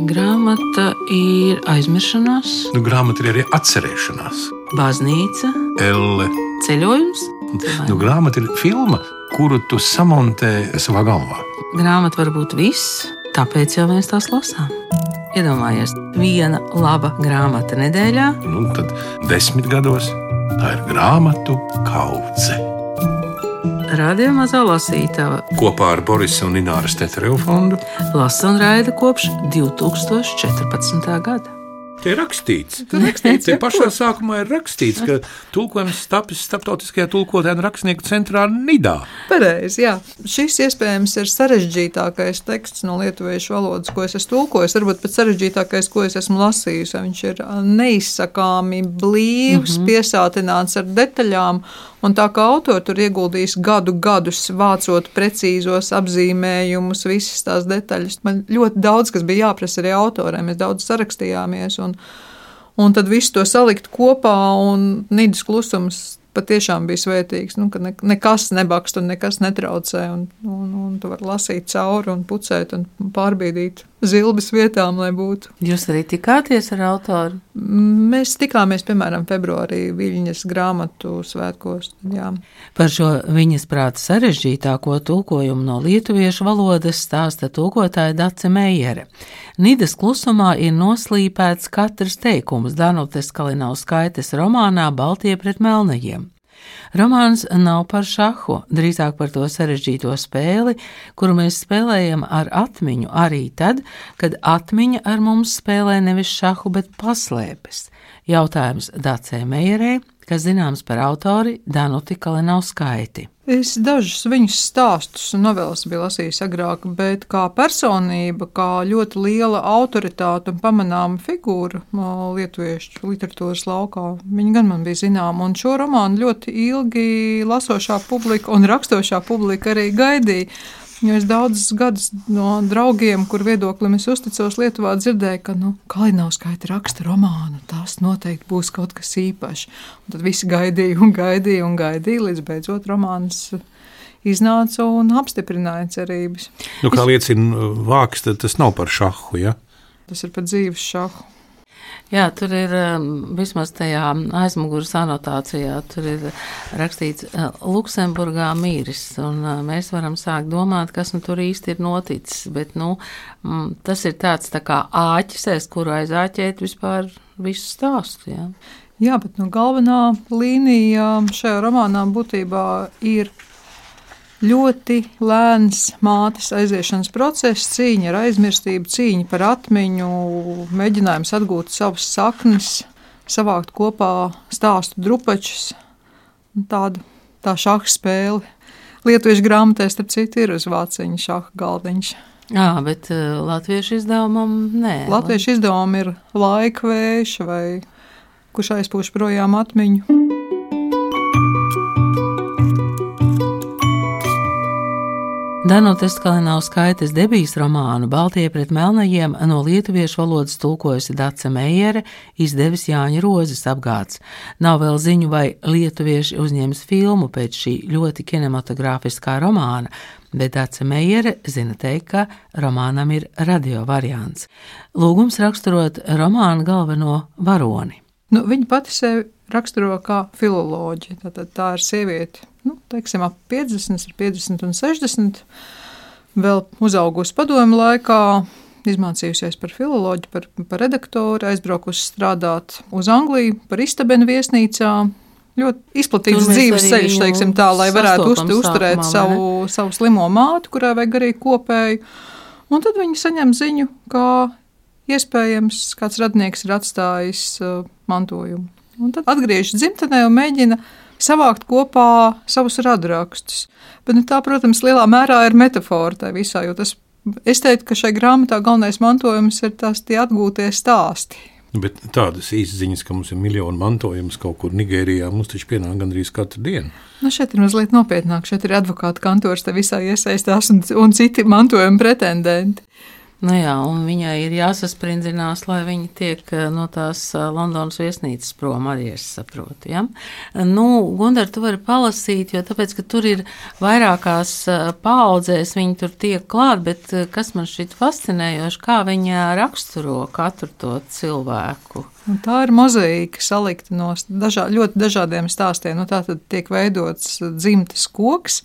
Grāmata ir aizmiršanās, Grāmata ir arī atcerēšanās. baznīca, Elle. ceļojums. Grāmata ir filma, kuru tu samontē savā galvā. Grāmata var būt viss, tāpēc jau mēs tās lasām. Iedomājies, viena laba grāmata nedēļā. Tad 10 gados tā ir grāmatu kaudze. Radio Mazā lasītava Kopā ar Borisa un Ināras Tetereva fondu lasa un raida kopš 2014. gada. Te ir rakstīts. Te pašā sākumā ir rakstīts, ka tulkojums tapis Starptautiskajā tulkotāju rakstnieku centrā Nidā. Pareizi, jā. Šis iespējams ir sarežģītākais teksts no lietuviešu valodas, ko es esmu tulkojis, varbūt pat sarežģītākais, ko es esmu lasījis. Viņš ir neizsakāmi blīvs, piesātināts ar detaļām, un tā kā autori tur ieguldījis gadus vācot precīzos apzīmējumus, visas tās detaļas. Man ļoti daudz, kas bija jāprasa arī autoriem, mēs daudz sarakstījāmies, un tad visu to salikt kopā, un Nidas klusums patiešām bija svētīgs, ka nekas nebakst un nekas netraucē, un tu vari lasīt cauri un pucēt un pārbīdīt zilbes vietām, lai būtu. Jūs arī tikāties ar autoru? Mēs tikāmies, piemēram, februārī Viļņas grāmatu svētkos. Jā. Par šo viņas prāta sarežģītāko tulkojumu no lietuviešu valodas stāsta tulkotāja Dace Meijere. Nidas klusumā ir noslīpēts katrs teikums Danutes Kalinauskaites romānā Baltie pret melnajiem. Romāns nav par šahu, drīzāk par to sarežģīto spēli, kuru mēs spēlējam ar atmiņu arī tad, kad atmiņa ar mums spēlē nevis šahu, bet paslēpes. Jautājums Dacei Meijerei, kas zināms par autori Danuti Kalinauskaiti. Es dažus viņas stāstus un novelas biju lasījis agrāk, bet kā personība, kā ļoti liela autoritāte un pamanāma figūra lietuviešu literatūras laukā, viņa gan man bija zināma, un šo romānu ļoti ilgi lasošā publika un rakstošā publika arī gaidīja. Jo es daudzus gadus no draugiem, kur viedoklim es uzticos Lietuvā, dzirdēju, ka Kalinauskaite raksta romānu, tas noteikti būs kaut kas īpašs. Un tad visi gaidīja, līdz beidzot romāns iznāca un apstiprināja cerības. Kā liecina vāks, tad tas nav par šahu, ja? Tas ir par dzīves šahu. Jā, tur ir vismaz tajā aizmugures anotācijā, tur ir rakstīts Luksemburgā mīris, un mēs varam sākt domāt, kas tur īsti ir noticis, bet tas ir tāds tā kā āķis, kuru aizāķēt vispār visu stāstu. Jā, bet galvenā līnija šajā romānā būtībā ir ļoti lēns mātes aiziešanas process, cīņa ar aizmirstību, cīņa par atmiņu, mēģinājums atgūt savas saknes, savākt kopā stāstu drupačus, tā šaha spēle. Lietuviešu grāmatē, starp citu, ir uz vāciņa šaha galdiņš. Jā, bet latviešu izdevumam nē. Latviešu izdevumam ir Laikvējš vai Kurš aizpūš projām atmiņu. Danutes Kalinauskaites debijas romānu Baltie pret melnajiem no lietuviešu valodas tulkojusi Dace Meijere, izdevis Jāņa Rozes apgāds. Nav vēl ziņu, vai lietuvieši uzņems filmu pēc šī ļoti kinematogrāfiskā romāna, bet Dace Meijere zina teikt, ka romānam ir radio variants. Lūgums raksturot romānu galveno varoni. Viņa pati sevi raksturo kā filoloģi, tā ir sieviete. Teiksim, ap 50, 50 un 60, vēl uzaugusi padomju laikā, izmācījusies par filoloģi, par redaktoru, aizbraukusi strādāt uz Angliju, par istabenu viesnīcā. Ļoti izplatīts dzīves ceļš, teiksim tā, lai varētu uzturēt savu slimo mātu, kurai vajag arī kopēju. Un tad viņi saņem ziņu, ka iespējams kāds radnieks ir atstājis mantojumu. Un tad atgriežas dzimtenē un mēģina savākt kopā savus radrakstus. Bet tā, protams, lielā mērā ir metafora tā visā, jo es teiktu, ka šai grāmatā galvenais mantojums ir tie atgūtie stāsti. Bet tādas īsziņas, ka mums ir miljonu mantojums kaut kur Nigērijā, mums taču pienāk gandrīz katru dienu. Šeit ir mazliet nopietnāk, šeit ir advokāta kantors, te visā iesaistās un citi mantojuma pretendenti. Nu jā, un viņai ir jāsasprindzinās, lai viņa tiek no tās Londonas viesnīcas prom, arī es saprotu. Ja? Nu, Gundar, tu vari palasīt, jo tāpēc, ka tur ir vairākās paaudzēs, viņi tur tiek klāt, bet kas man šķiet fascinējoši, kā viņa raksturo katru to cilvēku. Un tā ir mozaīka salikta no ļoti dažādiem stāstiem. Nu, tā tad tiek veidots dzimtes koks,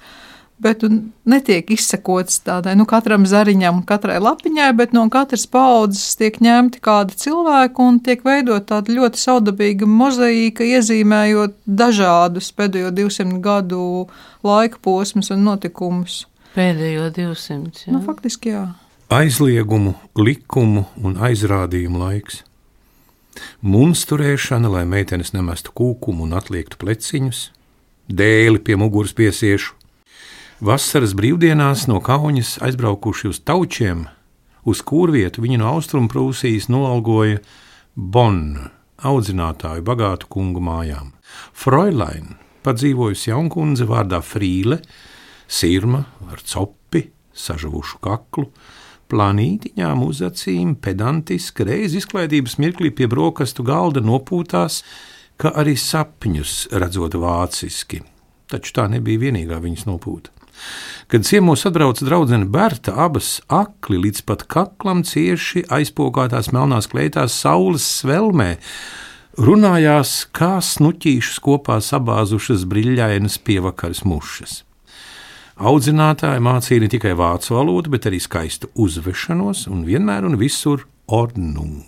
bet netiek izsekots tādai, katram zariņam, katrai lapiņai, bet no katras paaudzes tiek ņemti kādi cilvēki un tiek veidot tāda ļoti saudabīga mozaīka, iezīmējot dažādus pēdējo 200 gadu laika posmus un notikumus. Pēdējo 200, jā? Faktiski, jā. Aizliegumu, likumu un aizrādījumu laiks. Munsturēšana, lai meitenes nemestu kūkumu un atliektu pleciņus, dēli pie muguras piesiešu. Vasaras brīvdienās no Kauņas aizbraukuši uz Taučiem, uz kurvietu viņi no Austrumprūsijas noalgoja Bonnu, audzinātāju bagātu kungu mājām. Fräulein, padzīvojusi jaunkundze vārdā Frīle, sirma ar copi, sažavušu kaklu, planītiņām uz acīm, pedantiski, reiz izklaidības mirklī pie brokastu galda nopūtās, ka arī sapņus redzot vāciski, taču tā nebija vienīgā viņas nopūta. Kad ciemos atbrauca draudzene Berta, abas akli līdz pat kaklam cieši aizpogātās melnās kleitās saules svelmē, runājās kā snuķīšus kopā sabāzušas briļļainas pievakaras mušas. Audzinātāji mācīja ne tikai vācu valodu, bet arī skaistu uzvešanos un vienmēr un visur ordnung.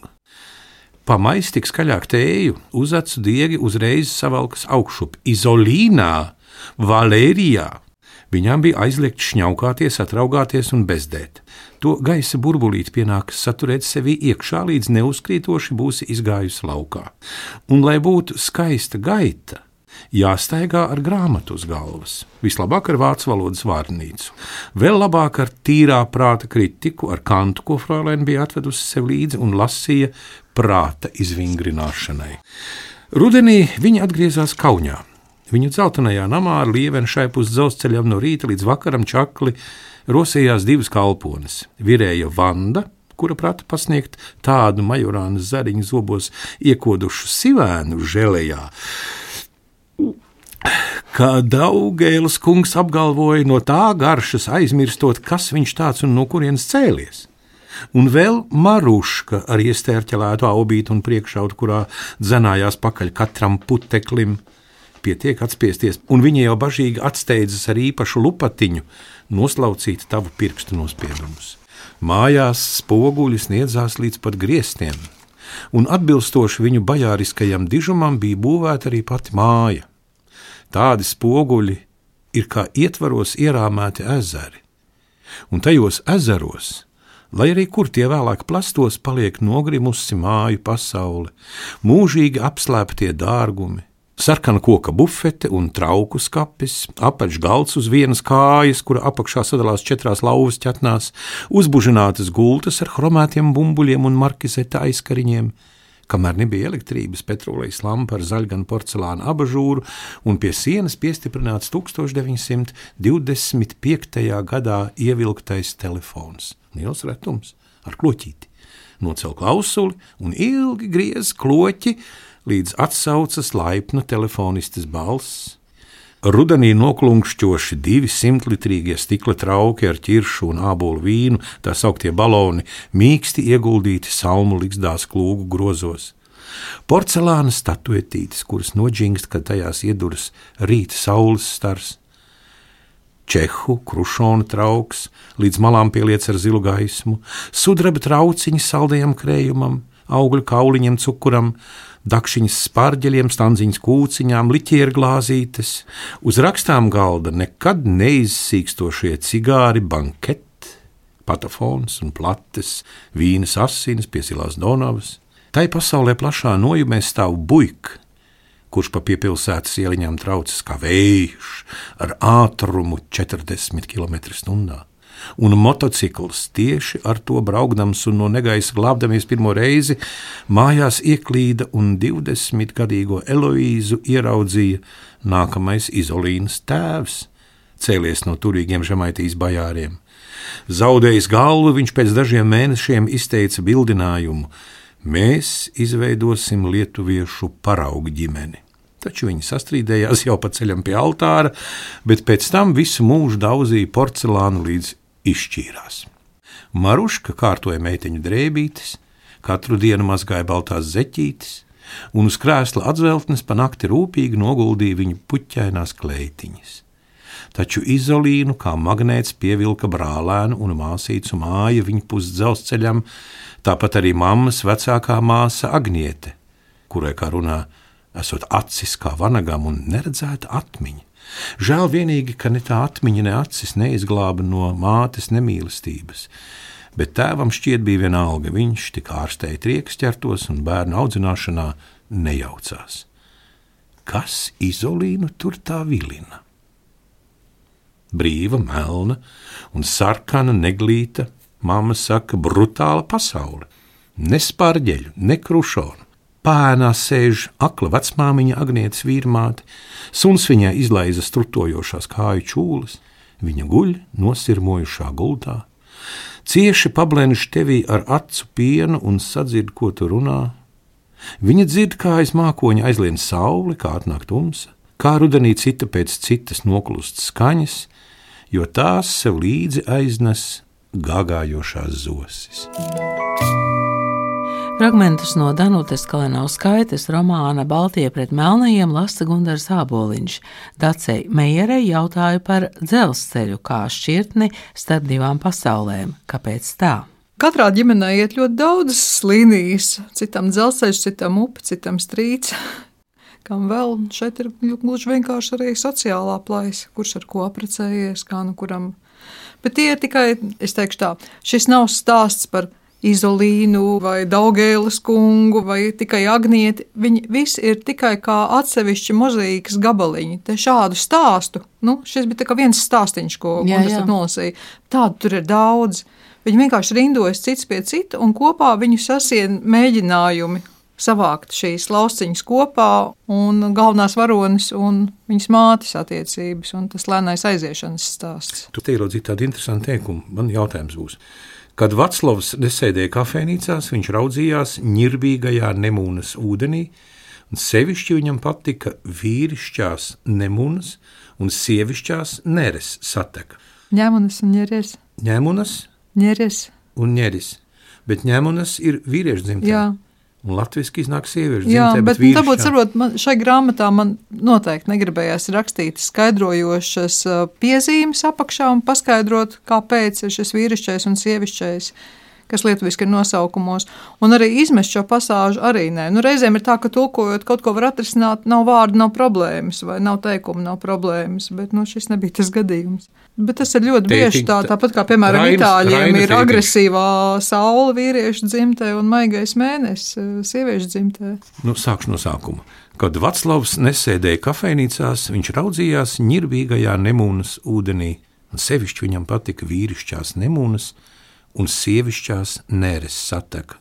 Pamais tik skaļāk tēju, uz acu diegi uzreiz savalkas augšup Izolīnā, Valērijā. Viņām bija aizliegts šņaukāties, atraugāties un bezdēt. To gaisa burbulīti pienākas saturēt sevī iekšā, līdz neuzkrītoši būsi izgājusi laukā. Un, lai būtu skaista gaita, jāstaigā ar grāmatu uz galvas, vislabāk ar vācu valodas vārnīcu, vēl labāk ar tīrā prāta kritiku, ar Kantu, ko Fräulein bija atvedusi sev līdzi un lasīja prāta izvingrināšanai. Rudenī viņa atgriezās Kauņā. Viņu dzeltenajā namā ar lievenu šaipu uz dzelzceļam no rīta līdz vakaram čakli rosījās divas kalpones. Virēja Vanda, kura prata pasniegt tādu majorānas zariņu zobos iekodušu sivēnu želejā, kā Daugēlas kungs apgalvoja, no tā garšas aizmirstot, kas viņš tāds un no kurienes cēlies. Un vēl Maruška ar iestērķelētu aubītu un priekšautu, kurā dzenājās pakaļ katram puteklim. Pietiek atspiesties, un viņa jau bažīgi atsteidzas ar īpašu lupatiņu noslaucīt tavu pirkstu nospiedumus. Mājās spoguļi sniedzās līdz pat griestiem, un atbilstoši viņu bajāriskajam dižumam bija būvēta arī pati māja. Tādi spoguļi ir kā ietvaros ierāmēti ezeri, un tajos ezeros, lai arī kur tie vēlāk plastos, paliek nogrimusi māju pasaule, mūžīgi apslēptie dārgumi, sarkana koka bufete un trauku skapis, apaļš galds uz vienas kājas, kura apakšā sadalās 4 lauvas ķetnās, uzbužinātas gultas ar chromētiem bumbuļiem un markizeta aizkariņiem, kamēr nebija elektrības, petrolejas lampa ar zaļganu porcelāna abažūru un pie sienas piestiprināts 1925. gadā ievilktais telefons. Liels retums ar kloķīti. Nocel klausuli un ilgi griez kloķi, līdz atsaucas laipna telefonistes balss. Rudenī noklunkšķoši 200-litrīgie stikla trauki ar ķiršu un ābolu vīnu, tā sauktie baloni, mīksti ieguldīti salmu ligzdās klūgu grozos. Porcelāna statuetītes, kuras noģingst, kad tajās ieduras rīta saules stars. Čehu, krušona trauks, līdz malām pieliec ar zilu gaismu, sudraba trauciņi saldajam krējumam, augļu kauliņiem cukuram, dakšiņas spārģeļiem, stanziņas kūciņām, liķieru glāzītes, uz rakstām galda nekad neizsīkstošie cigāri banket, patafons un plates, vīnas asinis, piesilās Donavas. Tai pasaulē plašā nojumē stāv buik, kurš pa piepilsētas ieliņām traucas kā vējš ar ātrumu 40 km/h. Un motocikls tieši ar to braukdams un no negaisa glābdamies pirmo reizi mājās ieklīda un 20-gadīgo Eloīzu ieraudzīja nākamais Izolīnas tēvs, cēlies no turīgiem Žemaitijas bajāriem. Zaudējis galvu, viņš pēc dažiem mēnešiem izteica bildinājumu: mēs izveidosim lietuviešu paraugu ģimeni. Taču viņi sastrīdējās jau pa ceļam pie altāra, bet pēc tam visu mūžu daudzīja porcelānu līdz izšķīrās. Maruška kārtoja meiteņu drēbītes, katru dienu mazgāja baltās zeķītes, un uz krēsla atzveltnes pa nakti rūpīgi noguldīja viņu puķainās kleitiņas. Taču Izolīnu kā magnēts pievilka brālēnu un māsīcu māja viņa pus dzelzceļam, tāpat arī mammas vecākā māsa Agniete, kurai, kā runā, esot acis kā vanagam un neredzēta atmiņa. Žēl vienīgi, ka ne tā atmiņa, ne acis neizglāba no mātes nemīlestības, bet tēvam šķiet bija vienalga, viņš tik ārstēja triekas ķertos un bērnu audzināšanā nejaucās. Kas Izolīnu tur tā vilina? Brīva, melna un sarkana neglīta, mamma saka, brutāla pasaule. Ne spārģeļu, ne krušonu. Pēnā sēž akla vecmāmiņa Agnietes vīrmāte, suns viņai izlaiza strutojošās kāju čūlas, viņa guļ nosirmojušā gultā, cieši pablenž tevī ar acu pienu un sadzird, ko tu runā. Viņa dzird, kā aiz mākoņa aizlien saule, kā atnāk tumsa, kā rudenī cita pēc citas noklust skaņas, jo tās sev līdzi aiznes gāgājošās zosis. Fragmentus no Danutes Kalinauskaites romāna Baltie pret melnajiem lasa Gundars Āboliņš. Dacei Meierei jautāja par dzelzceļu kā šķirtni starp divām pasaulēm. Kāpēc tā? Katrā ģimenē iet ļoti daudzas līnijas. Citam dzelzceļš, citam upe, citam strīds. Kam vēl šeit ir gluži vienkārši arī sociālā plaisa, kurš ar ko apprecējies, kā nu kuram. Bet tie ir tikai, es teikšu tā, šis nav stāsts par Izolīnu vai Daugēles kungu vai tikai Agnieti. Viņi visi ir tikai kā atsevišķi mozaīkas gabaliņi. Te šādu stāstu, šis bija tā kā viens stāstiņš, ko Gundas nolasīja. Tādu tur ir daudz. Viņi vienkārši rindojas cits pie cita un kopā viņu sasien mēģinājumi savākt šīs lauciņas kopā un galvenās varonis un viņas mātes attiecības un tas lēnais aiziešanas stāsts. Tu te ierodzīji tādu interesantu teikumu. Man jautājums būs. Kad Vaclavs nesēdēja kafejnīcās, viņš raudzījās ņirbīgajā Nemūnas ūdenī, un sevišķi viņam patika vīrišķās Nemūnas un sievišķās Neres sateka. Ņemunas un ņeres. Ņemunas? Ņeres. Un ņeris. Bet ņemunas ir vīriešu dzimtē. Jā. Un latviski iznāk sieviešu dzimtē, Jā, bet vīrišķā. tāpēc, varbūt, šai grāmatā man noteikti negribējās rakstīt skaidrojošas piezīmes apakšā un paskaidrot, kāpēc ir šis vīrišķais un sievišķais, kas lietuviski ir nosaukumos, un arī izmest šo pasāžu arī nē. Reizēm ir tā, ka tulkojot kaut ko var atrisināt, nav vārdu, nav problēmas, vai nav teikumu, nav problēmas, bet šis nebija tas gadījums. Bet tas ir ļoti bieži tāpat kā, piemēram, itāļiem ir agresīvā saule vīriešu dzimtē un maigais mēnesis sieviešu dzimtē. Sākšu no sākuma. Kad Vaclavs nesēdēja kafejnīcās, viņš raudzījās ņirbīgajā Nemūnas ūdenī, un sevišķi viņam patika vīrišķās Nemūnas un sievišķās Neres sateka.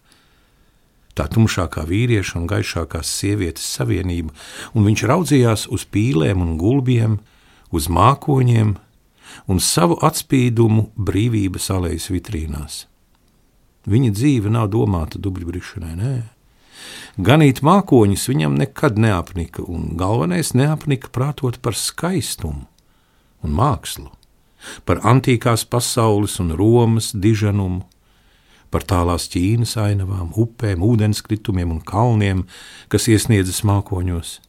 Tā tumšākā vīrieša un gaišākās sievietes savienība, un viņš raudzījās uz pīlēm un gulbiem, uz mākoņiem un savu atspīdumu brīvības alejas vitrīnās. Viņa dzīve nav domāta dubļbrišanai, nē. Ganīt mākoņus viņam nekad neapnika, un galvenais neapnika prātot par skaistumu un mākslu, par antīkās pasaules un Romas diženumu, par tālās Ķīnas ainavām, upēm, ūdenskritumiem un kalniem, kas iesniedzas mākoņos,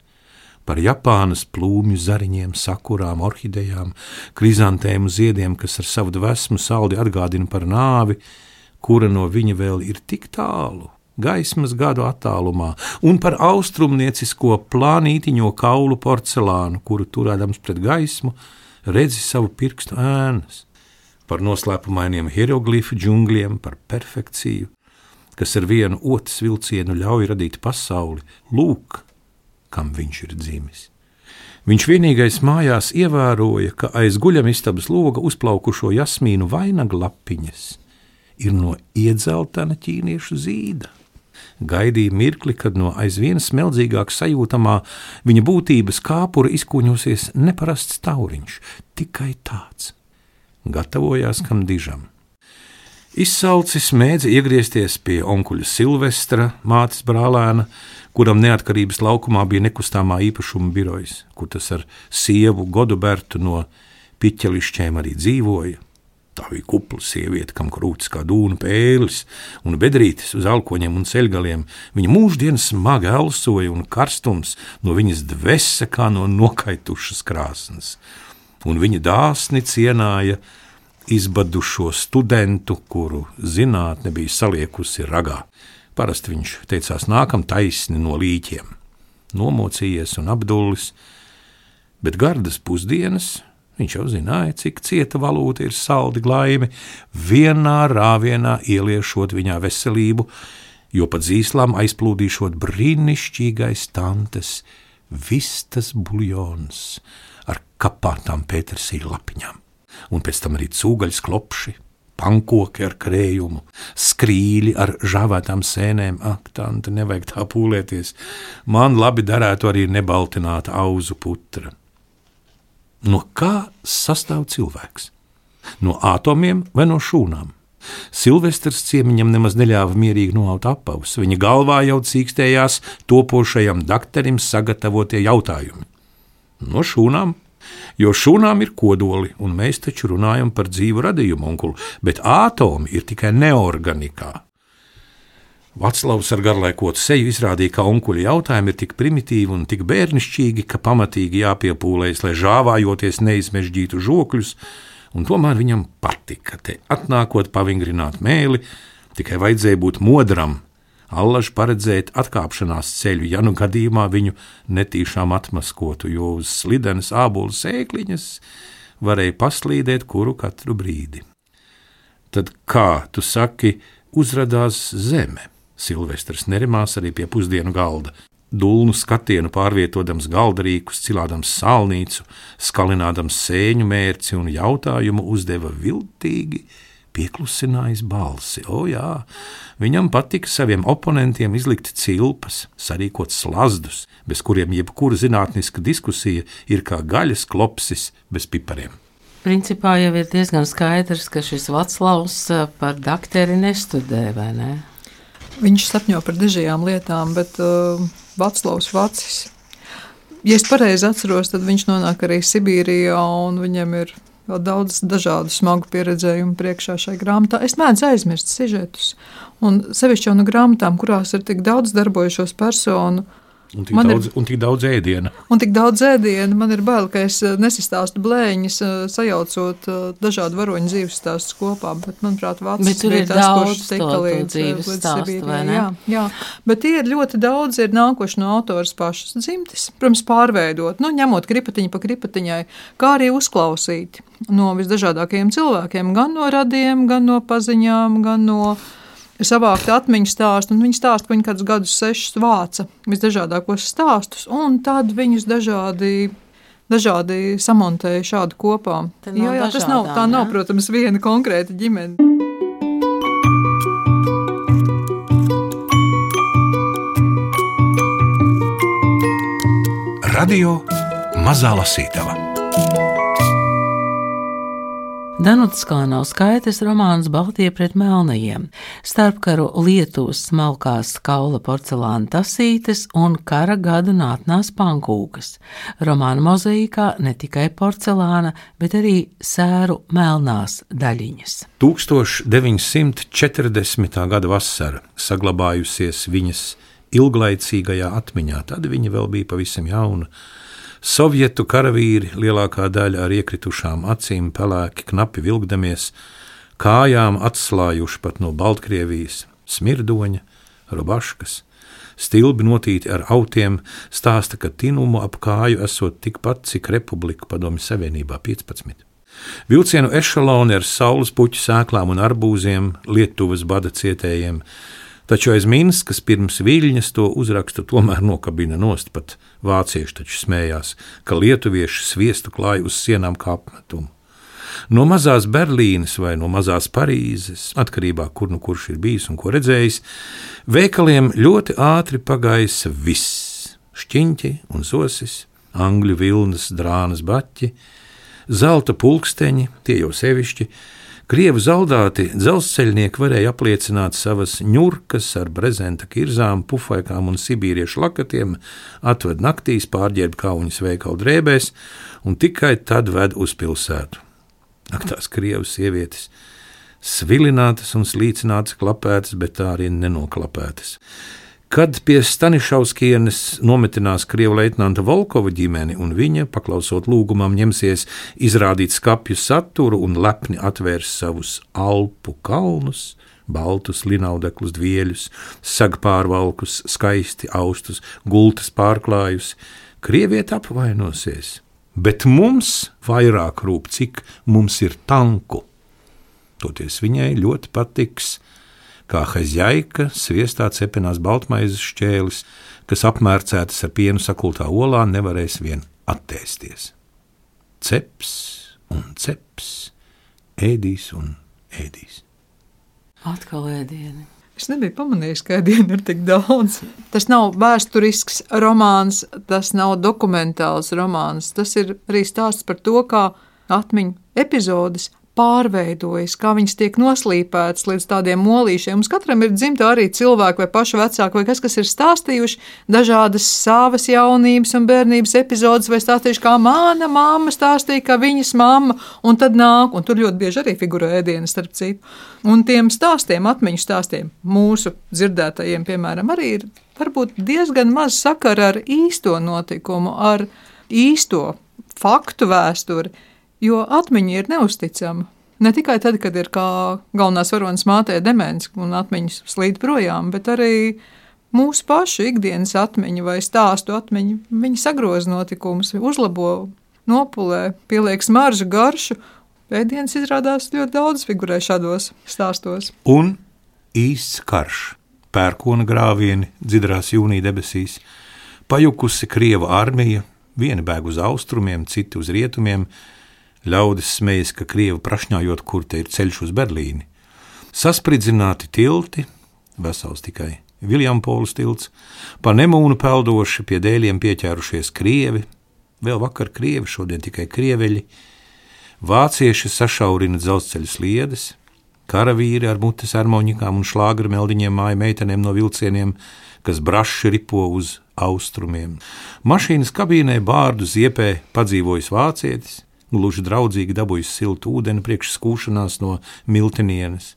par Japānas plūmju zariņiem, sakurām, orhidejām, krizantēmu ziediem, kas ar savu dvēsmu saldi atgādina par nāvi, kura no viņa vēl ir tik tālu, gaismas gadu attālumā, un par austrumniecisko plānītiņo kaulu porcelānu, kuru turēdams pret gaismu, redzi savu pirkstu ēnas, par noslēpumainiem hieroglifu džungļiem, par perfekciju, kas ar vienu otras vilcienu ļauj radīt pasauli, lūk, kam viņš ir dzimis. Viņš vienīgais mājās ievēroja, ka aiz guļamistabas loga uzplaukušo jasmīnu vainaglapiņas ir no iedzeltena ķīniešu zīda. Gaidīja mirkli, kad no aizvien smeldzīgāk sajūtamā viņa būtības kāpura izkuņosies neparasts tauriņš, tikai tāds. gatavojās kam dižam. Izsalcis mēdza iegriezties pie onkuļa Silvestra, mātes brālēna, kuram neatkarības laukumā bija nekustamā īpašuma birojs, kur tas ar sievu Godubertu no Piķelišķēm arī dzīvoja. Tā bija kupla sieviete, kam krūtis kā dūna pēlis un bedrītes uz alkoņiem un ceļgaliem. Viņa mūždienas smagi elsoja un karstums no viņas dvese kā no nokaitušas krāsnes. Un viņa dāsni cienāja izbadušo studentu, kuru zinātne bija saliekusi ragā. Parasti viņš teicās nākam taisni no līķiem. Nomocījies un apdullis, bet gardas pusdienas, viņš jau zināja, cik cieta valūta ir saldi glaimi, vienā rāvienā ieliešot viņā veselību, jo pa dzīslām aizplūdīšot brīnišķīgais tantes vistas buljons ar kapātām pētersīļa lapiņām. Un pēc tam arī cūgaļas klopši, pankoki ar krējumu, skrīļi ar žāvētām sēnēm. Ak, tante, nevajag tā pūlēties. Man labi darētu arī nebaltināta auzu putra. No kā sastāv cilvēks? No ātomiem vai no šūnām? Silvestrs ciemiņam nemaz neļāva mierīgi noaut apavus. Viņa galvā jau cīkstējās topošajam dakterim sagatavotie jautājumi. No šūnām? Jo šūnām ir kodoli, un mēs taču runājam par dzīvu radījumu, onkulu, bet ātomi ir tikai neorganikā. Vaclavs ar garlaikotu seju izrādīja, ka onkuļa jautājumi ir tik primitīvi un tik bērnišķīgi, ka pamatīgi jāpiepūlējas, lai žāvājoties neizmežģītu žokļus, un tomēr viņam patika te atnākot pavingrināt mēli, tikai vajadzēja būt modram, allaž paredzēt atkāpšanās ceļu, ja nu gadījumā viņu netīšām atmaskotu, jo uz slidenes ābolu sēkliņas varēja paslīdēt kuru katru brīdi. Tad kā, tu saki, uzradās zeme? Silvestrs nerimās arī pie pusdienu galda. Dulnu skatienu pārvietodams galdarīkus, cilādams sālnīcu, skalinādams sēņu mērci un jautājumu uzdeva viltīgi, pieklusinājis balsi. O jā, viņam patika saviem oponentiem izlikt cilpas, sarīkot slazdus, bez kuriem jebkura zinātniska diskusija ir kā gaļas klopsis bez pipariem. Principā jau ir diezgan skaidrs, ka šis Vaclavs par dakteri nestudē, vai ne? Viņš sapņo par dažādām lietām, bet Vaclavs Vacis, ja es pareizi atceros, tad viņš nonāk arī Sibīrijā un viņam ir vēl daudz dažādu smagu pieredzējumu priekšā šai grāmatā. Es mēdzu aizmirst sižetus, un sevišķi jau no grāmatām, kurās ir tik daudz darbojušos personu, Un tik daudz ēdiena. Un tik daudz ēdiena. Man ir bail, ka es nesastāstu blēņas, sajaucot dažādu varoņu dzīves stāstus kopā, bet, manuprāt, Vācis bija tas, kurš tika līdz stāstu, vai ne? Jā, bet tie ir ļoti daudz, ir nākuši no autoras pašas dzimtes, protams, pārveidot, ņemot kripatiņu pa kripatiņai, kā arī uzklausīt no visdažādākajiem cilvēkiem, gan no radiem, gan no paziņām, gan no savākt atmiņu stāstu, un viņi stāsta, ka viņi kādus gadus 6 vāca visdažādākos stāstus, un tad viņus dažādi samontēja šādu kopā. Jā, tas nav, protams, viena konkrēta ģimene. Radio Mazā Lasītava. Danutas Kalanauskaites romāns Baltie pret melnajiem, starpkaru Lietuvas smalkās kaula porcelāna tasītes un kara gadu nātnās pankūkas. Romāna mozaīkā ne tikai porcelāna, bet arī sēru melnās daļiņas. 1940. gada vasara saglabājusies viņas ilglaicīgajā atmiņā, tad viņa vēl bija pavisam jauna. Sovietu karavīri, lielākā daļa ar iekritušām acīm, pelēki, knapi vilkdamies, kājām atslājuši pat no Baltkrievijas, smirdoņa, robaškas, stilbi notīti ar autiem, stāsta, ka tinumu ap kāju esot tikpat, cik Republika Padomju Savienībā 15. Vilcienu ešaloni ar saules puķu sēklām un arbūziem, Lietuvas bada cietējiem, taču aiz Minskas pirms Viļņas to uzrakstu tomēr nokabina nost, pat vācieši taču smējās, ka lietuvieši sviestu klāja uz sienām kā apmetumu. No mazās Berlīnes vai no mazās Parīzes, atkarībā kur nu kurš ir bijis un ko redzējis, veikaliem ļoti ātri pagaisa viss – šķiņķi un sosis, angļu vilnas drānas baķi, zelta pulksteņi, tie jau sevišķi. Krievu zaldāti dzelzceļnieki varēja apliecināt savas ņurkas ar brezenta kirzām, pufaikām un sibīriešu lakatiem, atved naktīs, pārģērb kauņas veikalu drēbēs un tikai tad ved uz pilsētu. Ak, tās krievu sievietes, svilinātas un slīcinātas klapētas, bet tā arī nenoklapētas. Kad pie Stanišauskienes nometinās krievu leitnanta Volkova ģimeni un viņa, paklausot lūgumam, ņemsies izrādīt skapju saturu un lepni atvērs savus Alpu kalnus, baltus linaudeklus dvieļus, sagpārvalkus, skaisti austus, gultas pārklājus, krieviet apvainosies, bet mums vairāk rūp, cik mums ir tanku. Toties viņai ļoti patiks, kā haizjaika sviestā cepenās baltmaizes šķēlis, kas apmērcētas ar pienu sakultā olā, nevarēs vien attēsties. Ceps un ceps, ēdīs un ēdīs. Atkal ēdieni. Es nebiju pamanījis, ka ēdienu ir tik daudz. Tas nav vēsturisks romāns, tas nav dokumentāls romāns, tas ir arī stāsts par to, kā atmiņu epizodes pārveidojas, kā viņas tiek noslīpētas līdz tādiem molīšiem. Mums katram ir dzimta arī cilvēki vai paši vecāki, vai kas ir stāstījuši dažādas savas jaunības un bērnības epizodes, vai stāstījuši, kā mana mamma stāstīja, ka viņas mamma, un tad nāk, un tur ļoti bieži arī figurē ēdienas, starp citu. Un tiem stāstiem, atmiņu stāstiem, mūsu dzirdētajiem, piemēram, arī ir varbūt diezgan maz sakara ar īsto notikumu, ar īsto faktu vēsturi, jo atmiņa ir neusticama. Ne tikai tad, kad ir kā galvenās varonas mātē demens un atmiņas slīd projām, bet arī mūsu pašu ikdienas atmiņa vai stāstu atmiņa. Viņi sagroza notikumus, uzlabo, nopulē, pieliek smaržu, garšu. Ēdienas izrādās ļoti daudz figurē šādos stāstos. Un īsts karš, pērkona grāvieni dzidrās jūnija debesīs, pajukusi krieva armija, vieni bēg uz austrumiem, citi uz rietumiem, ļaudis smejas, ka krievi prašņājot, kur te ir ceļš uz Berlīni. Saspridzināti tilti, vesels tikai Viljampols tilts, pa Nemūnu peldoši pie dēļiem pieķērušies krievi, vēl vakar krievi, šodien tikai krieveļi. Vācieši sašaurina dzelzceļa sliedes, karavīri ar mutes armoņikām un šlāgra meldiņiem māja meitenēm no vilcieniem, kas braši ripo uz austrumiem. Mašīnas kabīnē bārdu ziepē padzīvojis vācietis, gluži draudzīgi dabūjis siltu ūdeni priekš skūšanās no miltenienes.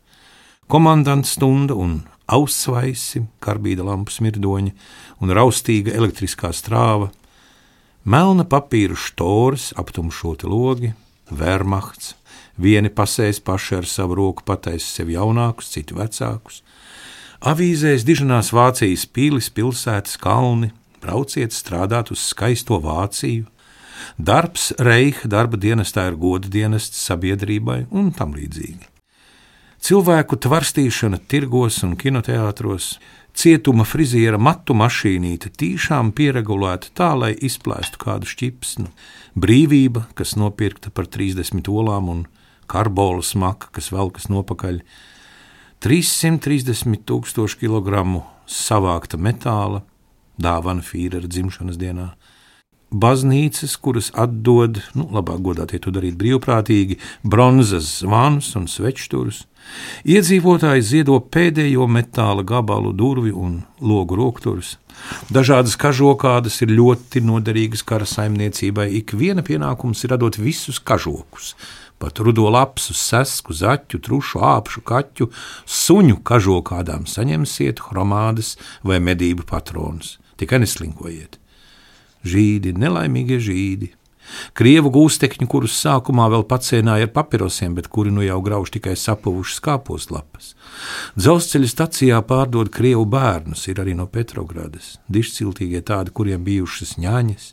Komandants stunda un aussvaisi, karbīda lampu smirdoņa un raustīga elektriskā strāva, melna papīra štoras, aptumšoti logi, Wehrmachts, vieni pasēs paši ar savu roku pataisa sev jaunākus, citi vecākus. Avīzēs diženās Vācijas pilis, pilsētas, kalni, brauciet strādāt uz skaisto Vāciju. Darbs Reiha darba dienestā ir goda dienests sabiedrībai un tam līdzīgi. Cilvēku tvarstīšana tirgos un kinoteātros, cietuma friziera matu mašīnīte tīšām pieregulēta tā, lai izplēstu kādu šķipsnu, brīvība, kas nopirkta par 30 olām un karbola smaka, kas velkas nopakaļ, 330,000 kilogramu savākta metāla, dāvana Fīrera dzimšanas dienā. Baznīcas, kuras atdod, labāk godātie to darīt brīvprātīgi, bronzas zvanus un svečturus. Iedzīvotāji ziedo pēdējo metāla gabalu, durvi un logu rokturus. Dažādas kažokādas ir ļoti noderīgas kara saimniecībai. Ik viena pienākums ir radot visus kažokus. Pat rudo lapsu, sesku, zaķu, trušu, āpšu, kaķu, suņu kažokādām saņemsiet hromādes vai medību patronus. Tikai neslinkojiet. Žīdi, nelaimīgie žīdi. Krievu gūstekņi, kurus sākumā vēl pacienāja ar papirosiem, bet kuri nu jau grauž tikai sapuvušas kāposlapas. Dzelzceļa stacijā pārdod krievu bērnus, ir arī no Petrogradas, dišciltīgie tādi, kuriem bijušas ņaņas.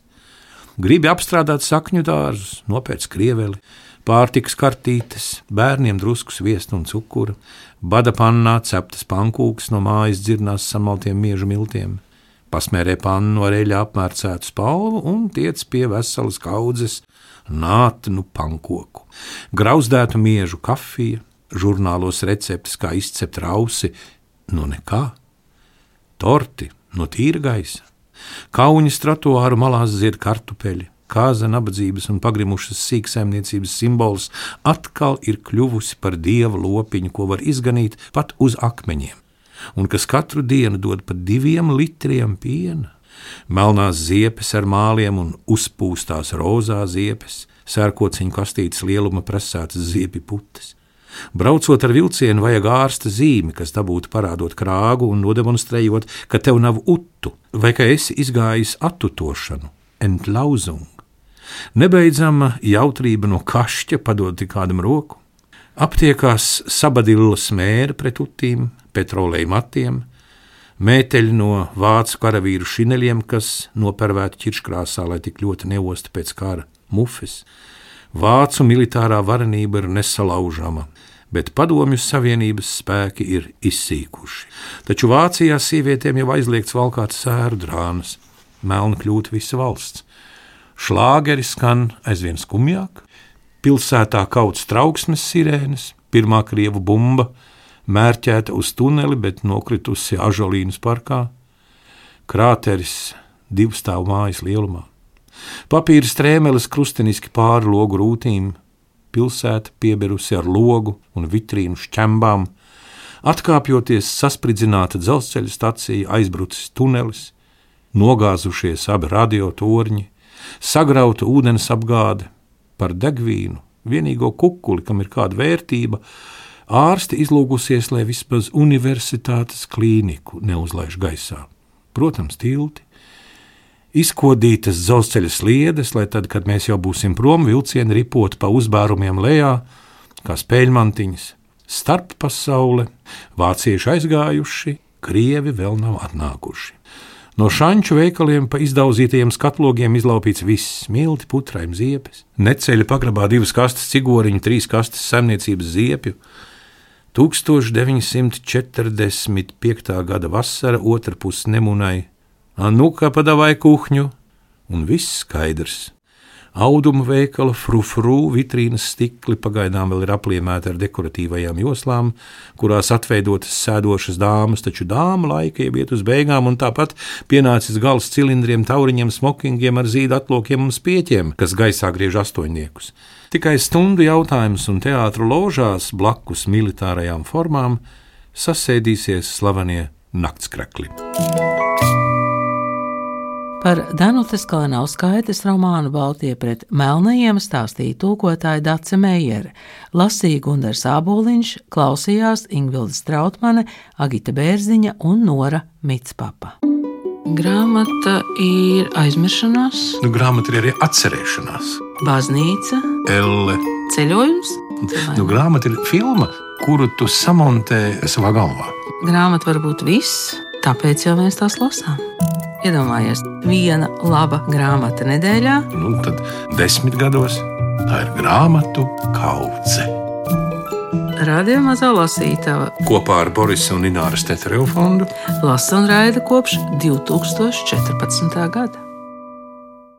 Gribi apstrādāt sakņu dārzus, nopēc krieveli, pārtikas kartītes, bērniem drusku sviestu un cukura, bada pannā ceptas pankūkas no mājas dzirnās samaltiem miežu miltiem. Pasmērē pannu ar eļļā apmērcētu spalvu un tiec pie veselas kaudzes nātnu pankoku. Grauzdētu miežu kafija, žurnālos receptes, kā izcept rausi, no nekā. Torti no tīra gaisa. Kauņas trotuāru malās zied kartupeļi, kāza nabadzības un pagrimušas sīksaimniecības simbols, atkal ir kļuvusi par dieva lopiņu, ko var izganīt pat uz akmeņiem, un kas katru dienu dod pa 2 litriem piena. Melnās ziepes ar māliem un uzpūstās rozā ziepes, sērkociņu kastītes lieluma presētas ziepju putes. Braucot ar vilcienu, vajag ārsta zīmi, kas dabūtu parādot krāgu un nodemonstrējot, ka tev nav utu, vai ka esi izgājis atutošanu, entlauzung. Nebeidzama jautrība no kašķa padod tik kādam roku. Aptiekās sabadillas mēra pret utīm, petroleja matiem, mēteļi no vācu karavīru šineļiem, kas nopervēti ķirškrāsā, lai tik ļoti neosta pēc kara mufes. Vācu militārā varenība ir nesalaužama, bet Padomju Savienības spēki ir izsīkuši. Taču Vācijā sievietēm jau aizliegts valkāt sēru drānas, melna kļūt visa valsts. Šlāgeri skan aizvien skumjāk, pilsētā kauts trauksmes sirēnes, pirmā krievu bumba mērķēta uz tuneli, bet nokritusi Ažolīnas parkā, krāteris 2 stāvu mājas lielumā. Papīra strēmeles krusteniski pāri logu rūtīm, pilsēta pieberusi ar logu un vitrīnu šķembām, atkāpjoties saspridzināta dzelzceļa stacija, aizbrucis tunelis, nogāzušies abi radiotorņi, sagrauta ūdens apgāde, par degvīnu, vienīgo kukuli, kam ir kāda vērtība, ārsti izlūgusies, lai vismaz universitātes klīniku neuzlaiž gaisā. Protams, tilti. Izkodītas dzelzceļa sliedes, lai tad, kad mēs jau būsim prom, vilcieni ripot pa uzbērumiem lejā, kā spēļmantiņas, starp pasaule, vācieši aizgājuši, krievi vēl nav atnākuši. No šanču veikaliem pa izdauzītajiem skatlogiem izlaupīts viss, milti, putraim, ziepes, neceļa pagrabā 2 kastes cigoriņu, 3 kastes saimniecības ziepju. 1945. gada vasara, otra puse nemunai, nu-ka padavai kuhņu, un viss skaidrs. Auduma veikala frufru vitrīnas stikli pagaidām vēl ir apliemēti ar dekoratīvajām joslām, kurās atveidotas sēdošas dāmas, taču dāma laika jau iet uz beigām, un tāpat pienācis gals cilindriem, tauriņiem, smokingiem ar zīdu atlokiem un spieķiem, kas gaisā griež astoņniekus. Tikai stundu jautājums, un teātru ložās blakus militārajām formām sasēdīsies slavenie naktskrekli. Par Danutes Kalinauskaites romānu Baltie pret melnajiem stāstīja tūkotāja Dace Meijere, lasīja Gundars Āboliņš, klausījās Ingvilda Strautmane, Agita Bērziņa un Nora Mitspapa. Grāmata ir aizmiršanās, Grāmata ir arī atcerēšanās, baznīca, elle. ceļojums. Grāmata ir filma, kuru tu samontē savā galvā. Grāmata var būt viss, tāpēc jau mēs tās lasām. Iedomājies, 1 laba grāmata nedēļā. Tad 10 gados tā ir grāmatu kaudze. Radio Mazā lasītava Kopā ar Borisa un Ināras Teterevu fondu lasa un raida kopš 2014. gada.